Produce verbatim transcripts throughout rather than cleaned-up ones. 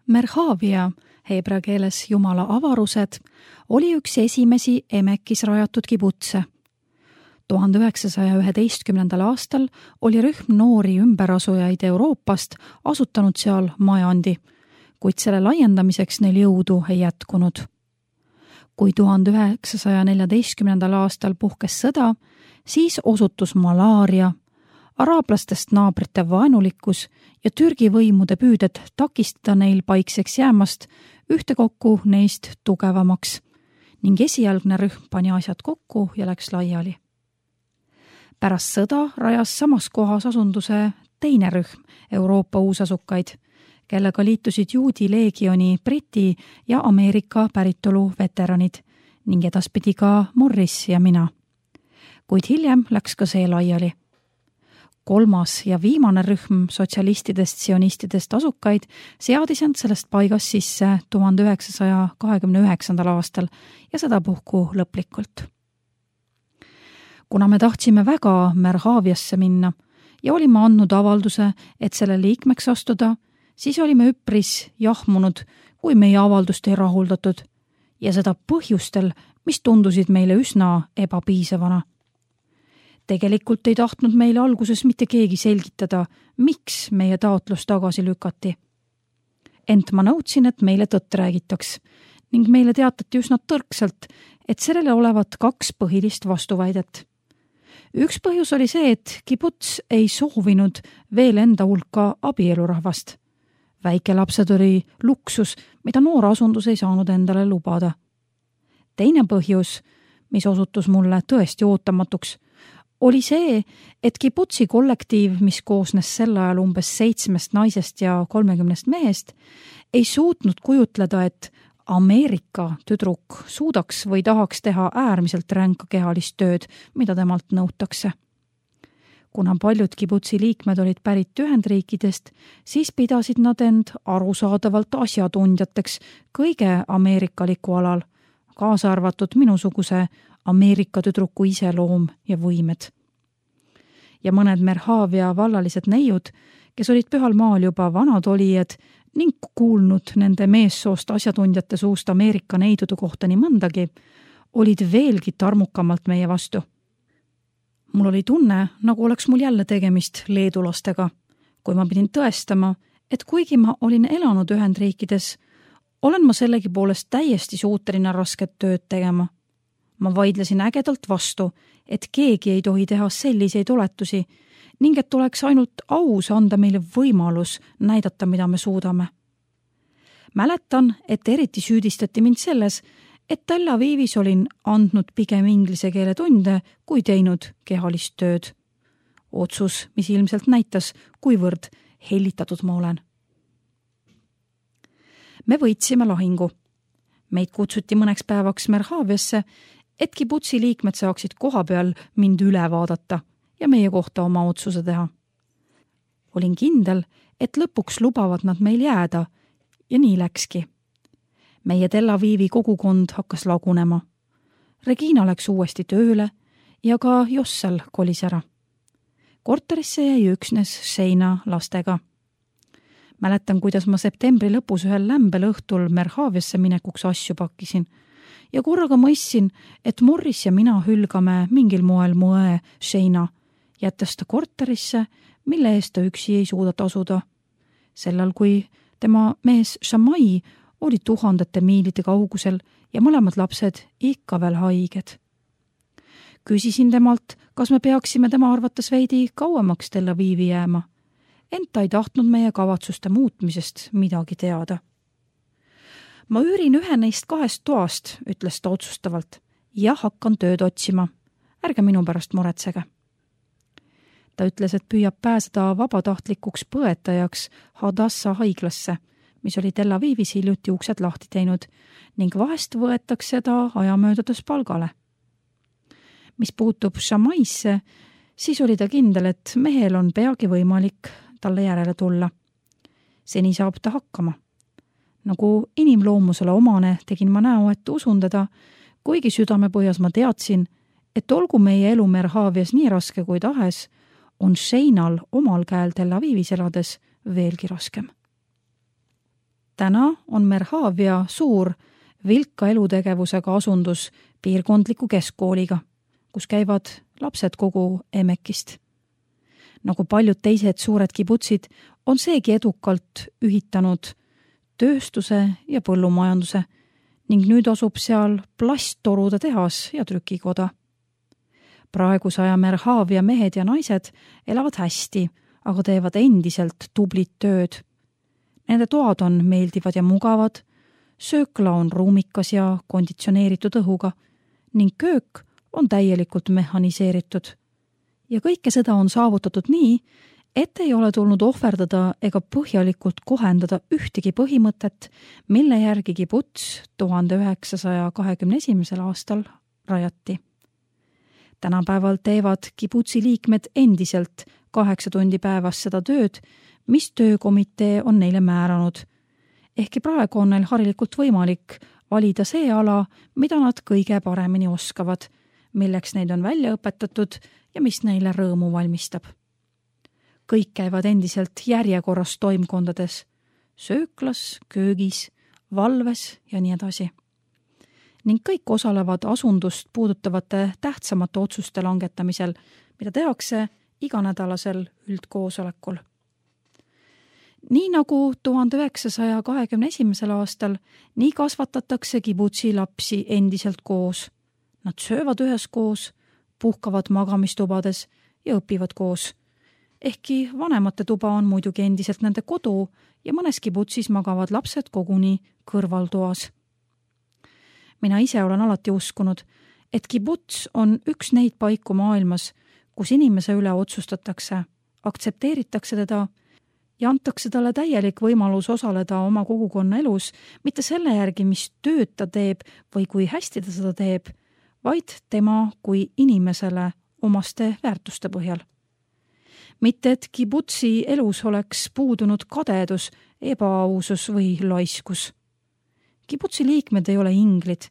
Merhavia, heebrea keeles Jumala avarused, oli üks esimesi Emekis rajatud kibutse. tuhande üheksasaja üheteistkümnendal aastal oli rühm noori ümberasujaid Euroopast asutanud seal majandi, kuid selle laiendamiseks neil jõudu ei jätkunud. Kui tuhande üheksasaja neljateistkümnendal aastal puhkes sõda, siis osutus malaaria, araablastest naabrite vaenulikkus ja Türgi võimude püüded takistada neil paikseks jäämast ühtekokku neist tugevamaks ning esialgne rühm pani asjad kokku ja läks laiali. Pärast sõda rajas samas kohas asunduse teine rühm Euroopa uusasukaid, kellega liitusid juudi leegioni Briti ja Ameerika päritolu veteranid ning edaspidi ka Morris ja mina. Kuid hiljem läks ka see laiali. Kolmas ja viimane rühm sotsialistidest sionistidest asukaid seadis end sellest paigast sisse tuhande üheksasaja kahekümne üheksandal aastal ja sedapuhku lõplikult. Kuna me tahtsime väga Merhaviasse minna ja olime andnud avalduse, et selle liikmeks astuda, siis olime üpris jahmunud, kui meie avaldust ei rahuldatud ja seda põhjustel, mis tundusid meile üsna ebapiisavana. Tegelikult ei tahtnud meile alguses mitte keegi selgitada, miks meie taotlus tagasi lükati. Ent ma nõudsin, et meile tõtt räägitaks ning meile teatati üsna tõrksalt, et sellele olevat kaks põhilist vastuväidet. Üks põhjus oli see, et kibuts ei soovinud veel enda hulka abielurahvast. Väikelapsed oli luksus, mida noor asundus ei saanud endale lubada. Teine põhjus, mis osutus mulle tõesti ootamatuks, oli see, et kibutsi kollektiiv, mis koosnes sel ajal umbes seitsmest naisest ja kolmekümnest mehest, ei suutnud kujutleda, et Ameerika tüdruk suudaks või tahaks teha äärmiselt ränka kehalist tööd, mida temalt nõutakse. Kuna paljud kibutsi liikmed olid pärit Ühendriikidest, siis pidasid nad end arusaadavalt asjatundjateks kõige ameerikaliku alal, kaasa arvatud minusuguse Ameerika tüdruku iseloom ja võimed. Ja mõned Merhavia vallalised neiud, kes olid pühal maal juba vanad olijad ning kuulnud nende meessoost asjatundjate suust Ameerika neidude kohta nii mõndagi, olid veelgi tarmukamalt meie vastu. Mul oli tunne, nagu oleks mul jälle tegemist leedulastega, kui ma pidin tõestama, et kuigi ma olin elanud Ühendriikides, olen ma sellegi poolest täiesti suuteline rasket tööd tegema. Ma vaidlesin ägedalt vastu, et keegi ei tohi teha selliseid oletusi ning et tuleks ainult aus anda meile võimalus näidata, mida me suudame. Mäletan, et eriti süüdistati mind selles, et Tel Avivis olin andnud pigem inglise keele tunde, kui teinud kehalist tööd. Otsus, mis ilmselt näitas, kuivõrd hellitatud ma olen. Me võitsime lahingu. Meid kutsuti mõneks päevaks Merhaviasse, et kibutsi liikmed saaksid koha peal mind üle vaadata ja meie kohta oma otsuse teha. Olin kindel, et lõpuks lubavad nad meil jääda ja nii läkski. Meie Tel Avivi kogukond hakkas lagunema. Regina läks uuesti tööle ja ka Jossel kolis ära. Korterisse jäi üksnes Sheina lastega. Mäletan, kuidas ma septembri lõpus ühel lämbel õhtul Merhaviasse minekuks asju pakkisin ja korraga mõistsin, et Morris ja mina hülgame mingil moel mu õe Sheina, jättes ta korterisse, mille eest ta üksi ei suuda tasuda. Sellal, kui tema mees Shamai oli tuhandete miilide kaugusel ja mõlemad lapsed ikka veel haiged. Küsisin temalt, kas me peaksime tema arvates veidi kauemaks Tel Avivi jääma, ent ta ei tahtnud meie kavatsuste muutmisest midagi teada. Ma üürin ühe neist kahest toast, ütles ta otsustavalt, ja hakkan tööd otsima. Ärge minu pärast muretsege. Ta ütles, et püüab pääseda vabatahtlikuks põetajaks Hadassa haiglasse, mis oli Tel Avivis hiljuti uksed lahti teinud ning vahest võetakse ta ajamöödades palgale. Mis puutub Shamaisse, siis oli ta kindel, et mehel on peagi võimalik talle järele tulla. Seni saab ta hakkama. Nagu inimloomusele omane tegin ma näo, et usun teda, kuigi südamepõhjas ma teadsin, et olgu meie elu Merhavias nii raske kui tahes, on Sheinal omal käel Tel Avivis elades veelgi raskem. täna on Merhavia suur vilka elutegevusega asundus piirkondliku keskkooliga, kus käivad lapsed kogu Emekist. Nagu paljud teised suured kibutsid, on seegi edukalt ühitanud tööstuse ja põllumajanduse ning nüüd asub seal plasttorude tehas ja trükikoda. Praeguse aja Merhavia mehed ja naised elavad hästi, aga teevad endiselt tublit tööd. Nende toad on meeldivad ja mugavad, söökla on ruumikas ja konditsioneeritud õhuga ning köök on täielikult mehhaniseeritud. Ja kõike seda on saavutatud nii, et ei ole tulnud ohverdada ega põhjalikult kohendada ühtegi põhimõtet, mille järgi kibuts tuhande üheksasaja kahekümne esimesel aastal rajati. Tänapäeval teevad kibutsi liikmed endiselt kaheksa tundi päevas seda tööd, mis töökomitee on neile määranud. Ehkki praegu on neil harilikult võimalik valida see ala, mida nad kõige paremini oskavad, milleks neid on välja õpetatud ja mis neile rõõmu valmistab. Kõik käivad endiselt järjekorras toimkondades, sööklas, köögis, valves ja nii edasi. Ning kõik osalevad asundust puudutavate tähtsamate otsuste langetamisel, mida tehakse iganädalasel üldkoosolekul. Nii nagu tuhande üheksasaja kahekümne esimesel aastal, nii kasvatatakse kibutsi lapsi endiselt koos. Nad söövad üheskoos, puhkavad magamistubades ja õpivad koos. Ehkki vanemate tuba on muidugi endiselt nende kodu ja mõnes kibutsis magavad lapsed koguni kõrvaltoas. Mina ise olen alati uskunud, et kibuts on üks neid paiku maailmas, kus inimese üle otsustatakse, aktsepteeritakse teda ja antakse talle täielik võimalus osaleda oma kogukonna elus, mitte selle järgi, mis tööd ta teeb või kui hästi ta seda teeb, vaid tema kui inimesele omaste väärtuste põhjal. Mitte et kibutsi elus oleks puudunud kadedus, ebaausus või laiskus. Kibutsi liikmed ei ole inglid,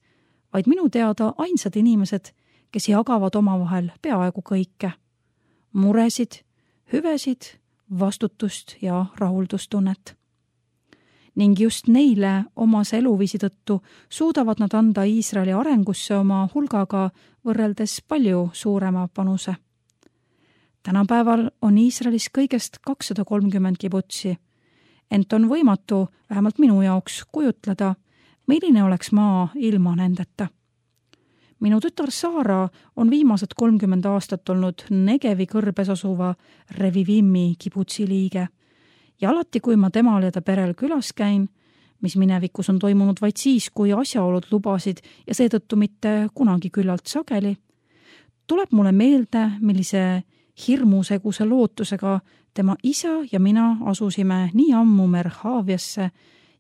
vaid minu teada ainsad inimesed, kes jagavad omavahel peaaegu kõike. Muresid, hüvesid, vastutust ja rahuldustunnet. Ning just neile omase eluviisi tõttu suudavad nad anda Iisraeli arengusse oma hulgaga võrreldes palju suurema panuse. Tänapäeval on Iisraelis kõigest kakssada kolmkümmend kibutsi, ent on võimatu, vähemalt minu jaoks, kujutleda, milline oleks maa ilma nendeta. Minu tütar Saara on viimased kolmkümmend aastat olnud Negevi kõrbes asuva Revivimi kibutsi liige ja alati, kui ma temal ja ta perel külas käin, mis minevikus on toimunud vaid siis, kui asjaolud lubasid ja seetõttu mitte kunagi küllalt sageli, tuleb mulle meelde, millise hirmuseguse lootusega tema isa ja mina asusime nii ammu Merhaviasse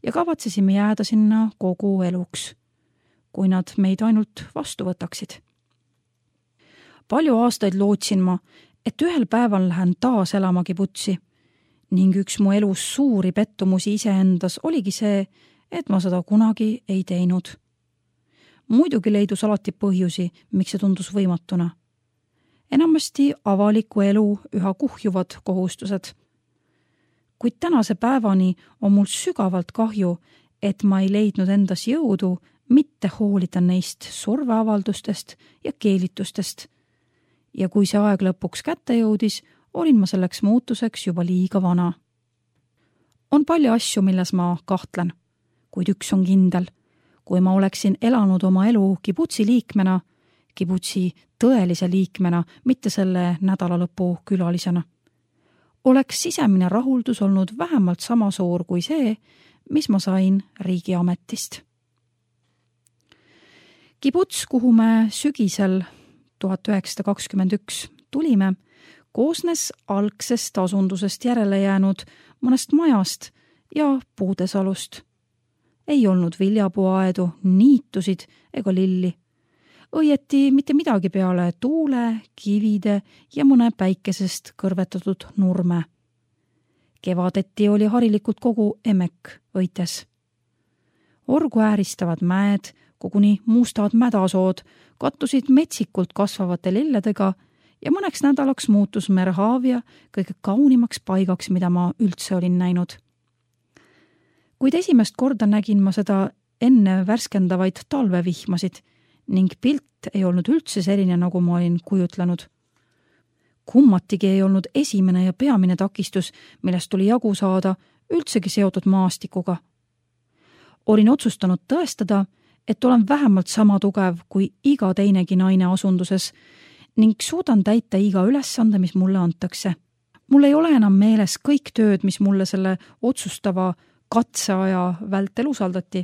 ja kavatsesime jääda sinna kogu eluks, kui nad meid ainult vastu võtaksid. Palju aastaid lootsin ma, et ühel päeval lähen taas elama kibutsi ning üks mu elus suuri pettumusi iseendas oligi see, et ma seda kunagi ei teinud. Muidugi leidus alati põhjusi, miks see tundus võimatuna. Enamasti avaliku elu üha kuhjuvad kohustused. Kuid tänase päevani on mul sügavalt kahju, et ma ei leidnud endas jõudu mitte hoolida neist surveavaldustest ja keelitustest. Ja kui see aeg lõpuks kätte jõudis, olin ma selleks muutuseks juba liiga vana. On palju asju, milles ma kahtlen, kuid üks on kindel. Kui ma oleksin elanud oma elu kibutsi liikmena, kibutsi tõelise liikmena, mitte selle nädalalõpu külalisena, oleks sisemine rahuldus olnud vähemalt sama suur kui see, mis ma sain riigiametist. Kibuts, kuhu me sügisel tuhat üheksasada kakskümmend üks tulime, koosnes algsest asundusest järele jäänud mõnest majast ja puudesalust. Ei olnud viljapuuaedu, niitusid ega lilli. Õieti mitte midagi peale tuule, kivide ja mõne päikesest kõrvetatud nurme. Kevadeti oli harilikult kogu Emek õites. Orgu ääristavad mäed, koguni mustad mädasood, kattusid metsikult kasvavate lilledega ja mõneks nädalaks muutus Merhavia kõige kaunimaks paigaks, mida ma üldse olin näinud. Kuid esimest korda nägin ma seda enne värskendavaid talvevihmasid ning pilt ei olnud üldse selline, nagu ma olin kujutlenud. Kummatigi ei olnud esimene ja peamine takistus, millest tuli jagu saada, üldsegi seotud maastikuga. Olin otsustanud tõestada, et olen vähemalt sama tugev kui iga teinegi naine asunduses ning suudan täita iga ülesande, mis mulle antakse. Mul ei ole enam meeles kõik tööd, mis mulle selle otsustava katseaja vältel usaldati,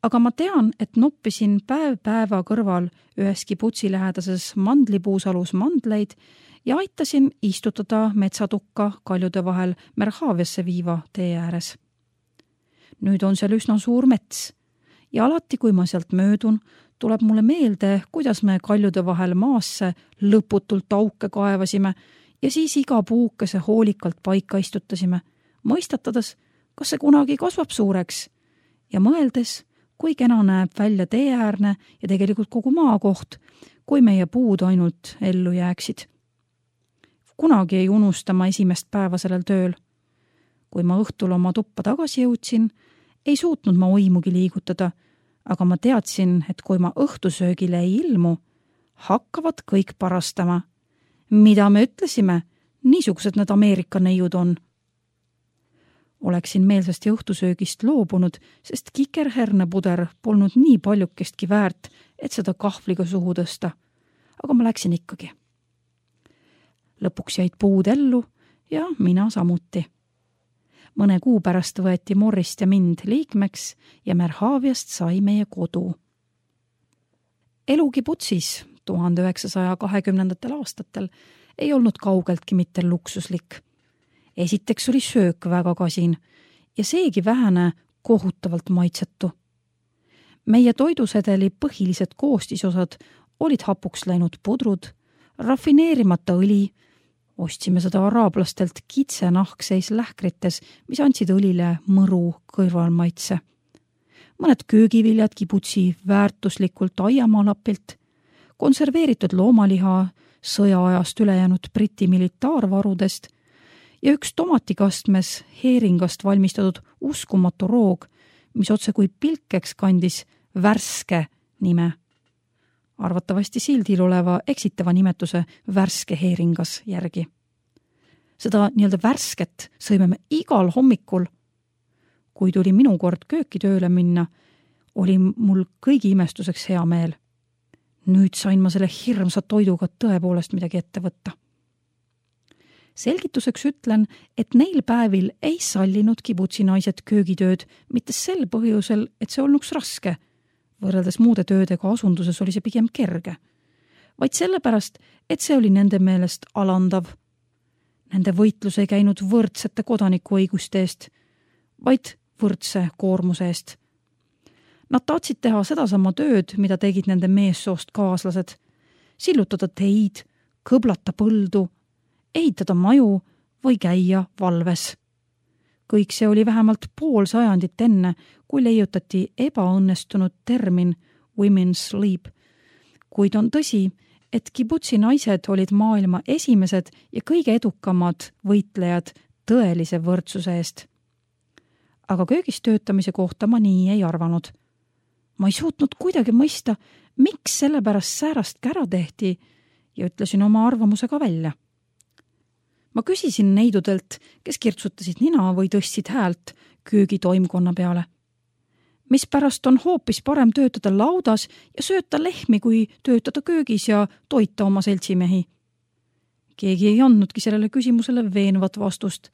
aga ma tean, et noppisin päev päeva kõrval ühes kibutsi lähedases mandlipuusalus mandleid ja aitasin istutada metsatukka kaljude vahel Merhaviasse viiva tee ääres. Nüüd on seal üsna suur mets ja alati, kui ma sealt möödun, tuleb mulle meelde, kuidas me kaljude vahel maasse lõputult auke kaevasime ja siis iga puukese hoolikalt paika istutasime, mõistatades, kas see kunagi kasvab suureks ja mõeldes, kui kena näeb välja teeäärne ja tegelikult kogu maakoht, kui meie puud ainult ellu jääksid. Kunagi ei unusta ma esimest päeva sellel tööl. Kui ma õhtul oma tuppa tagasi jõudsin, ei suutnud ma oimugi liigutada, aga ma teadsin, et kui ma õhtusöögile ei ilmu, hakkavad kõik parastama. Mida me ütlesime? Niisugused need Ameerika neiud on. Oleksin meelsasti õhtusöögist loobunud, sest kikerhernepuder polnud nii paljukestki väärt, et seda kahvliga suhu tõsta. Aga ma läksin ikkagi. Lõpuks jäid puud ellu ja mina samuti. Mõne kuu pärast võeti Morrist ja mind liikmeks ja Merhaviast sai meie kodu. Elu kibutsis tuhande üheksasaja kahekümnendatel aastatel ei olnud kaugeltki mitte luksuslik. Esiteks oli söök väga kasin ja seegi vähene kohutavalt maitsetu. Meie toidusedeli põhilised koostisosad olid hapuks läinud pudrud, rafineerimata õli, ostsime seda araablastelt kitsenahkseis lähkrites, mis andsid õlile mõru kõrvalmaitse. Mõned köögiviljad kibutsi väärtuslikult aiamaalapilt, konserveeritud loomaliha sõjaajast ülejäänud Briti militaarvarudest ja üks tomatikastmes heeringast valmistatud uskumatu roog, mis otse kui pilkeks kandis värske nime. Arvatavasti sildil oleva eksitava nimetuse värske heeringas järgi. Seda nii-öelda värsket sõime me igal hommikul. Kui tuli minu kord kööki tööle minna, oli mul kõigi imestuseks hea meel. Nüüd sain ma selle hirmsa toiduga tõepoolest midagi ette võtta. Selgituseks ütlen, et neil päevil ei sallinud kibutsi naised köögitööd mitte sel põhjusel, et see olnuks raske. Võrreldes muude töödega asunduses oli see pigem kerge, vaid sellepärast, et see oli nende meelest alandav. Nende võitlus ei käinud võrdsete kodanikuõiguste eest, vaid võrdse koormuse eest. Nad tahtsid teha sedasama tööd, mida tegid nende meessoost kaaslased. Sillutada teid, kõblata põldu, ehitada maju või käia valves. Kõik see oli vähemalt pool sajandit enne, kui leiutati ebaõnnestunud termin women's sleep. Kuid on tõsi, et kibutsi naised olid maailma esimesed ja kõige edukamad võitlejad tõelise võrdsuse eest. Aga köögis töötamise kohta ma nii ei arvanud. Ma ei suutnud kuidagi mõista, miks sellepärast säärast kära tehti ja ütlesin oma arvamuse ka välja. Ma küsisin neidudelt, kes kirtsutasid nina või tõstsid häält köögi toimkonna peale. Mis pärast on hoopis parem töötada laudas ja sööta lehmi, kui töötada köögis ja toita oma seltsimehi. Keegi ei andnudki sellele küsimusele veenvat vastust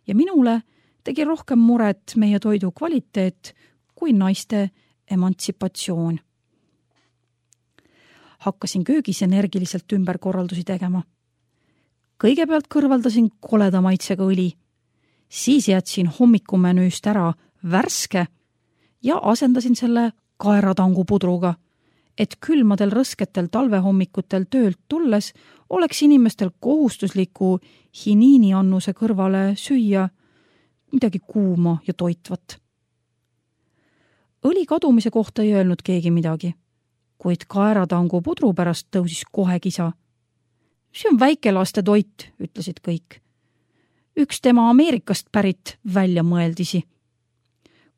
ja minule tegi rohkem muret meie toidu kvaliteet kui naiste emantsipatsioon. Hakkasin köögis energiliselt ümberkorraldusi tegema. Kõigepealt kõrvaldasin koleda maitsega õli, siis jätsin hommikumenüüst ära värske ja asendasin selle kaeratangu pudruga, et külmadel rõsketel talvehommikutel töölt tulles oleks inimestel kohustusliku hiniiniannuse kõrvale süüa midagi kuuma ja toitvat. Õli kadumise kohta ei öelnud keegi midagi, kuid kaeratangu pudru pärast tõusis kohe kisa. See on väikelaste toit, ütlesid kõik. Üks tema Ameerikast pärit välja mõeldisi.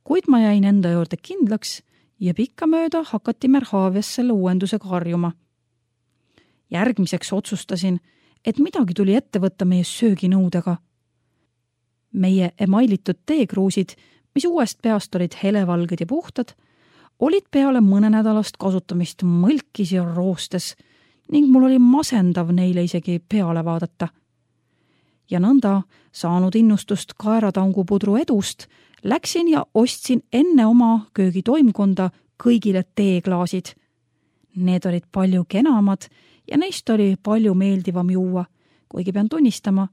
kuid ma jäin enda juurde kindlaks ja pikkamööda hakati Merhaavias selle uuendusega harjuma. Järgmiseks otsustasin, et midagi tuli ette võtta meie sööginõudega. Meie emailitud teekruusid, mis uuest peast olid helevalged ja puhtad, olid peale mõne nädalast kasutamist mõlkis ja roostes ning mul oli masendav neile isegi peale vaadata. Ja nõnda, saanud innustust kaeratangupudru edust, läksin ja ostsin enne oma köögitoimkonda kõigile teeklaasid. Need olid palju kenamad ja neist oli palju meeldivam juua, kuigi pean tunnistama,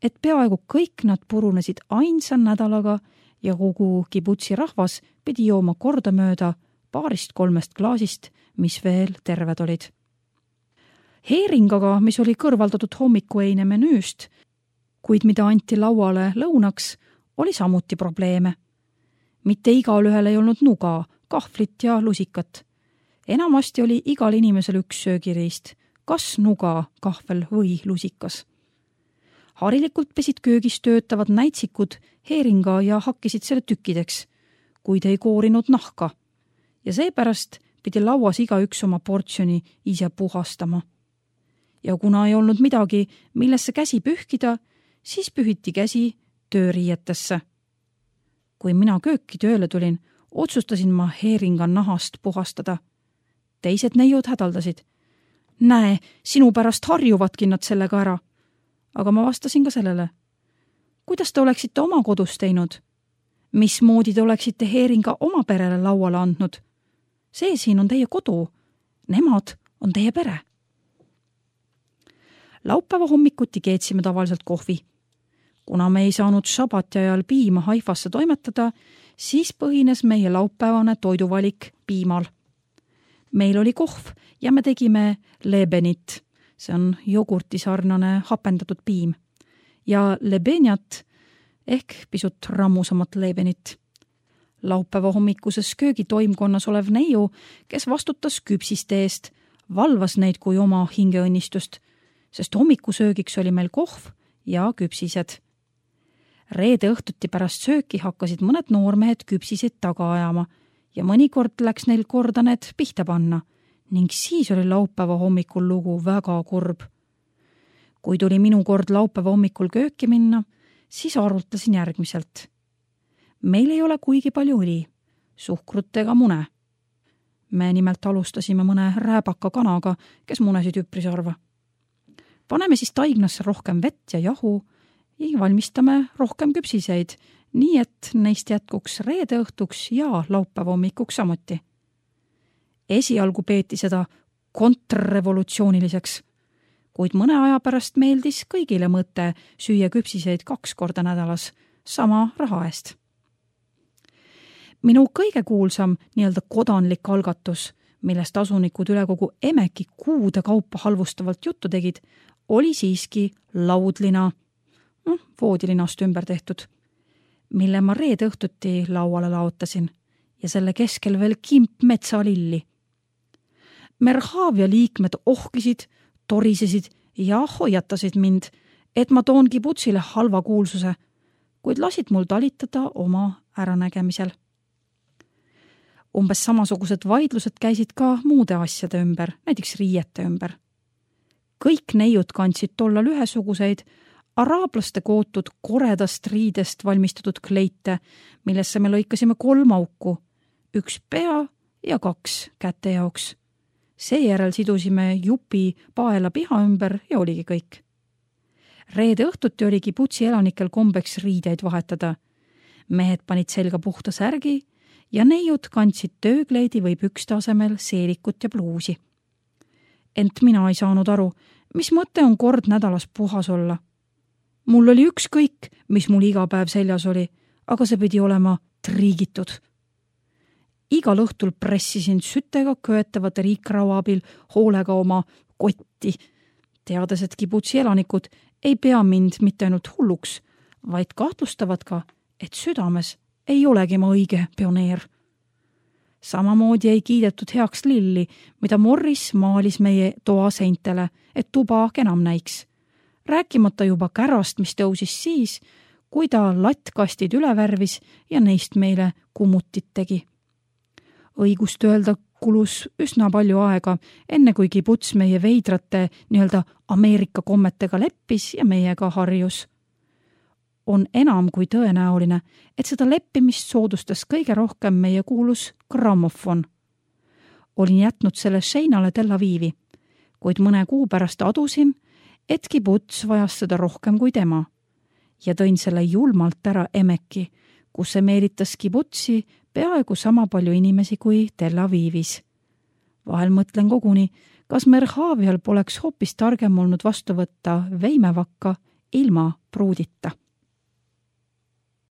et peaaegu kõik nad purunesid ainsa nädalaga ja kogu kibutsi rahvas pidi jooma kordamööda paarist kolmest klaasist, mis veel terved olid. Heeringaga, mis oli kõrvaldatud hommikueine menüüst, kuid mida anti lauale lõunaks, oli samuti probleeme. Mitte igal ühel ei olnud nuga, kahvlit ja lusikat. Enamasti oli igal inimesel üks söögiriist, kas nuga, kahvel või lusikas. Harilikult pesid köögis töötavad näitsikud heeringa ja hakkisid selle tükkideks, kuid ei koorinud nahka. Ja seepärast pidi lauas igaüks oma portsjoni ise puhastama. Ja kuna ei olnud midagi, millesse käsi pühkida, siis pühiti käsi tööriietesse. Kui mina kööki tööle tulin, otsustasin ma heeringa nahast puhastada. Teised neiud hädaldasid. Näe, sinu pärast harjuvadki nad sellega ära. Aga ma vastasin ka sellele. Kuidas te oleksite oma kodus teinud? Mismoodi te oleksite heeringa oma perele lauale andnud? See siin on teie kodu. Nemad on teie pere. Laupäeva hommikuti keetsime tavaliselt kohvi. Kuna me ei saanud šabati ajal piima Haifasse toimetada, siis põhines meie laupäevane toiduvalik piimal. Meil oli kohv ja me tegime lebenit. See on jogurtisarnane hapendatud piim. Ja lebenjat ehk pisut rammusamat lebenit. Laupäeva hommikuses köögitoimkonnas olev neiu, kes vastutas küpsiste eest, valvas neid kui oma hingeõnnistust, sest hommikusöögiks oli meil kohv ja küpsised. Reede õhtuti pärast sööki hakkasid mõned noormehed küpsiseid taga ajama ja mõnikord läks neil korda need pihta panna ning siis oli laupäeva hommikul lugu väga kurb. Kui tuli minu kord laupäeva hommikul kööki minna, siis arvutasin järgmiselt. Meil ei ole kuigi palju õli, suhkrut ega mune. Me nimelt alustasime mõne rääbaka kanaga, kes munesid üpris harva. Paneme siis taignasse rohkem vett ja jahu ja valmistame rohkem küpsiseid, nii et neist jätkuks reede õhtuks ja laupäeva hommikuks samuti. Esialgu peeti seda kontrrevolutsiooniliseks, kuid mõne aja pärast meeldis kõigile mõte süüa küpsiseid kaks korda nädalas sama raha eest. Minu kõige kuulsam nii-öelda kodanlik algatus, millest asunikud üle kogu Emeki kuude kaupa halvustavalt juttu tegid, oli siiski laudlina, no, voodilinast ümber tehtud, mille ma reede õhtuti lauale laotasin ja selle keskel veel kimp metsalilli. Merhaavia liikmed ohkisid, torisesid ja hoiatasid mind, et ma toon kibutsile halva kuulsuse, kuid lasid mul talitada oma äranägemisel. Umbes samasugused vaidlused käisid ka muude asjade ümber, näiteks riiete ümber. Kõik neiud kandsid tollal ühesuguseid araablaste kootud koredast riidest valmistatud kleite, millesse me lõikasime kolm auku, üks pea ja kaks käte jaoks. Seejärel sidusime jupi paela piha ümber ja oligi kõik. Reede õhtuti oli kibutsi elanikel kombeks riideid vahetada. Mehed panid selga puhta särgi ja neiud kandsid töökleidi või pükste asemel seelikut ja pluusi. Ent mina ei saanud aru, mis mõte on kord nädalas puhas olla. Mul oli ükskõik, mis mul iga päev seljas oli, aga see pidi olema triigitud. Igal õhtul pressisin sütega köetavate riikraua abil hoolega oma kotti, teades, et kibutsi elanikud ei pea mind mitte ainult hulluks, vaid kahtlustavad ka, et südames ei olegi ma õige pioneer. Samamoodi ei kiidetud heaks lilli, mida Morris maalis meie toa seintele, et tuba kenam näiks. Rääkimata juba kärast, mis tõusis siis, kui ta lattkastid üle värvis ja neist meile kummutit tegi. Õigust öelda kulus üsna palju aega, enne kui kibuts meie veidrate nii-öelda Ameerika kommetega leppis ja meiega harjus. On enam kui tõenäoline, et seda leppimist soodustas kõige rohkem meie kuulus grammofon. Olin jätnud selle Sheinale Tel Avivi, kuid mõne kuu pärast adusin, et kibuts vajas seda rohkem kui tema ja tõin selle julmalt ära Emeki, kus see meelitas kibutsi peaaegu sama palju inimesi kui Tel Avivis. Vahel mõtlen koguni, kas Merhavial poleks hoopis targem olnud vastu võtta veimevakka ilma pruudita.